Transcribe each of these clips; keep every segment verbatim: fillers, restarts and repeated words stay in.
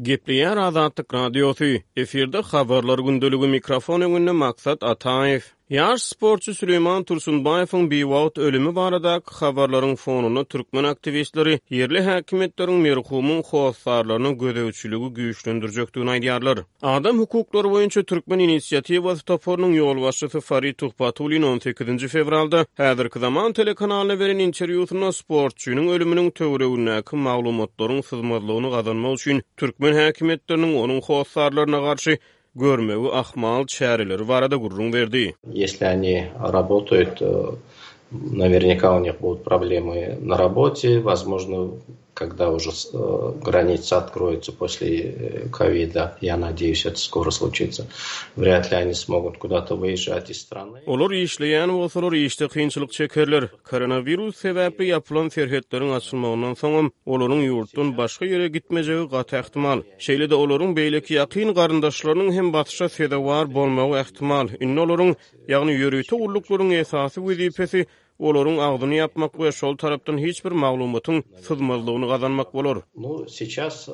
Gepleýär Azatlyk Radiosy, efirde Habarlar gündeligi, mikrofon öňünde Maksat Ataýew. Ýaş sportçy Süleýman Tursunbaýewiň biwagt ölümi baradaky habarlaryň fonunda türkmen aktiwistleri ýerli häkimiýetleriň merhumyň hossarlaryna gözegçiligi güýçlendirjekdigini aýdýarlar. Adam hukuklary boýunça Türkmen inisiatiwasy toparynyň ýolbaşçysy Farid Tuhbatullin on sekizinji fewralda Häzirki zaman telekanalyna beren interwýusynda sportçynyň ölüminiň töweregindäki maglumatlaryň syzmazlygyny gazanmak üçin türkmen häkimiýetleriniň onuň hossarlaryna garşy görmegi ahmal çäreleri barada gürrüň berdi. Если они работают, наверняка у них будут проблемы на работе, возможно, когда уже граница откроется после ковида, я надеюсь, это скоро случится, вряд ли они смогут куда-то выезжать из страны. Olar işleýän bolsalar, işde kynçylyk çekerler. Koronawirus sebäpli ýapylan serhetleriň açylmagyndan soňam olaryň ýurtdan başga ýere gitmejegi gaty ähtimal. Şeýle-de olaryň beýleki ýakyn garyndaşlarynyň hem basyşa sezewar bolmagy ähtimal. Indi olaryň, ýagny ýörite gulluklaryň esasy wezipesi olaryň agzyny ýapmak we şol tarapdan hiç bir maglumatyň syzmazlygyny gazanmak bolar. Ну, сейчас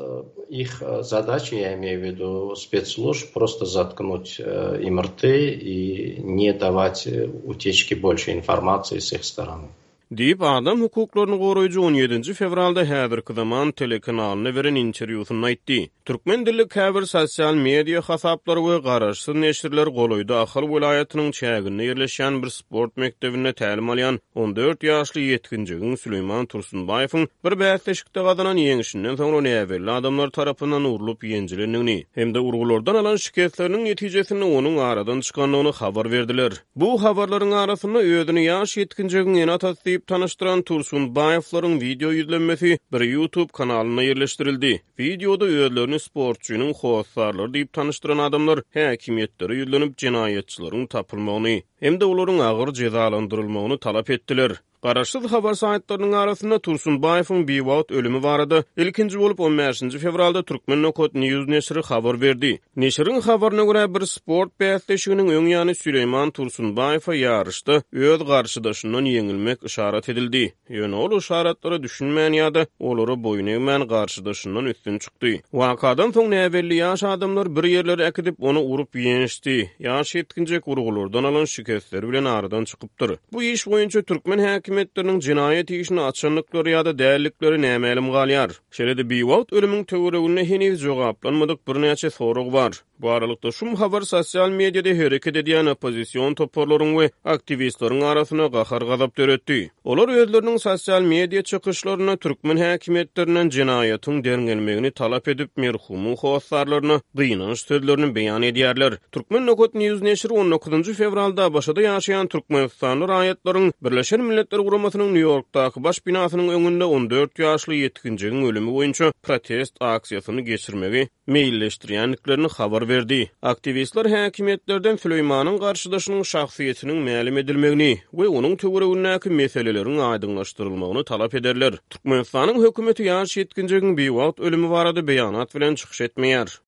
их задача, я имею в виду спецслужб, просто заткнуть им рты и не давать утечки больше информации с их стороны. Diýip, adam hukuklaryny goraýjy on ýedinji fewralda häzirki zaman telekanalyna beren interwýusynda aýtdy. Türkmen dilli käbir sosial media hasaplary we garaşsyz neşirler golaýda Ahal welaýatynyň çäginde ýerleşýän bir sport mekdebinde tälim alýan on dört ýaşly ýetginjegiň Süleýman Tursunbaýewiň bir bäsleşikde gazanan ýeňşinden soňra näbelli adamlar tarapyndan urlup ýenjilendigini hem-de urgulardan alan şikesleriniň netijesinde onuň aradan çykandygyny habar berdiler. Bu habarlaryň arasynda özüni ýaş ýetginjegiň ene-atasy diýip tanyşdyran Tursunbaýewleriň video ýüzlenmesi bir YouTube kanalynda ýerleşdirildi. Videoda özlerini sportçynyň hossarlary diýip tanyşdyran adamlar häkimiýetlere ýüzlenip jenaýatçylaryň tapylmagyny hem-de olaryň agyr jezalandyrylmagyny talap etdiler. Garaşsyz habar saýtlarynyň arasynda Tursunbaýewiň biwagt ölümi barada ilkinji bolup on bäşinji fewralda Türkmen Nokat News neşiri habar berdi. Neşiriň habaryna görä bir sport bäsleşiginiň öň ýany Süleýman Tursunbaýewe ýaryşda öz garşydaşyndan ýeňilmek yşarat edildi. Ýöne ol yşaratlara düşünmän ýa-da olara boýun egmän garşydaşyndan üstün çykdy. Wakadan soň näbelli ýaş adamlar bir ýerlere äkidip ony urup ýençdi. Ýaş ýetginjek urgulardan alan şikesleri bilen aradan çykypdyr. Bu iş boýunça türkmen häkimiýetleriniň jenaýat işini açandyklary ýa-da dällikleri nämälim galýar. Şeýle-de biwagt ölümiň töwereginde heniz jogaplanmadyk birnäçe sorag bar. Bu aralykda şum habar sosial mediada hereket edýän oppozision toparlaryň we aktiwistleriň arasynda gahar-gazap döretdi. Olar özleriniň sosial media çykyşlarynda türkmen häkimiýetlerinden jenaýatyň derňelmegini talap edip, merhumyň hossarlaryna gynanç sözlerini beýan edýärler. Türkmen Nokat News neşiri on dokuzynjy fewralda ABŞ-da ýaşaýan Türkmenistanly raýatlaryň Birleşen Milletler Guramasynyň Nýu-Ýorkdaky baş binasynyň öňünde on dört ýaşly ýetginjegiň ölümi boýunça protest aksiýasyny geçirmegi meýilleşdirýändiklerini habar berdi. Aktiwistler häkimiýetlerden Süleýmanyň garşydaşynyň şahsyýetiniň mälim edilmegini we onuň töweregindäki meseleleriň aýdyňlaşdyrylmagyny talap ederler. Türkmenistanyň hökümeti ýaş ýetginjegiň biwagt ölümi barada beýanat bilen çykyş etmeýär.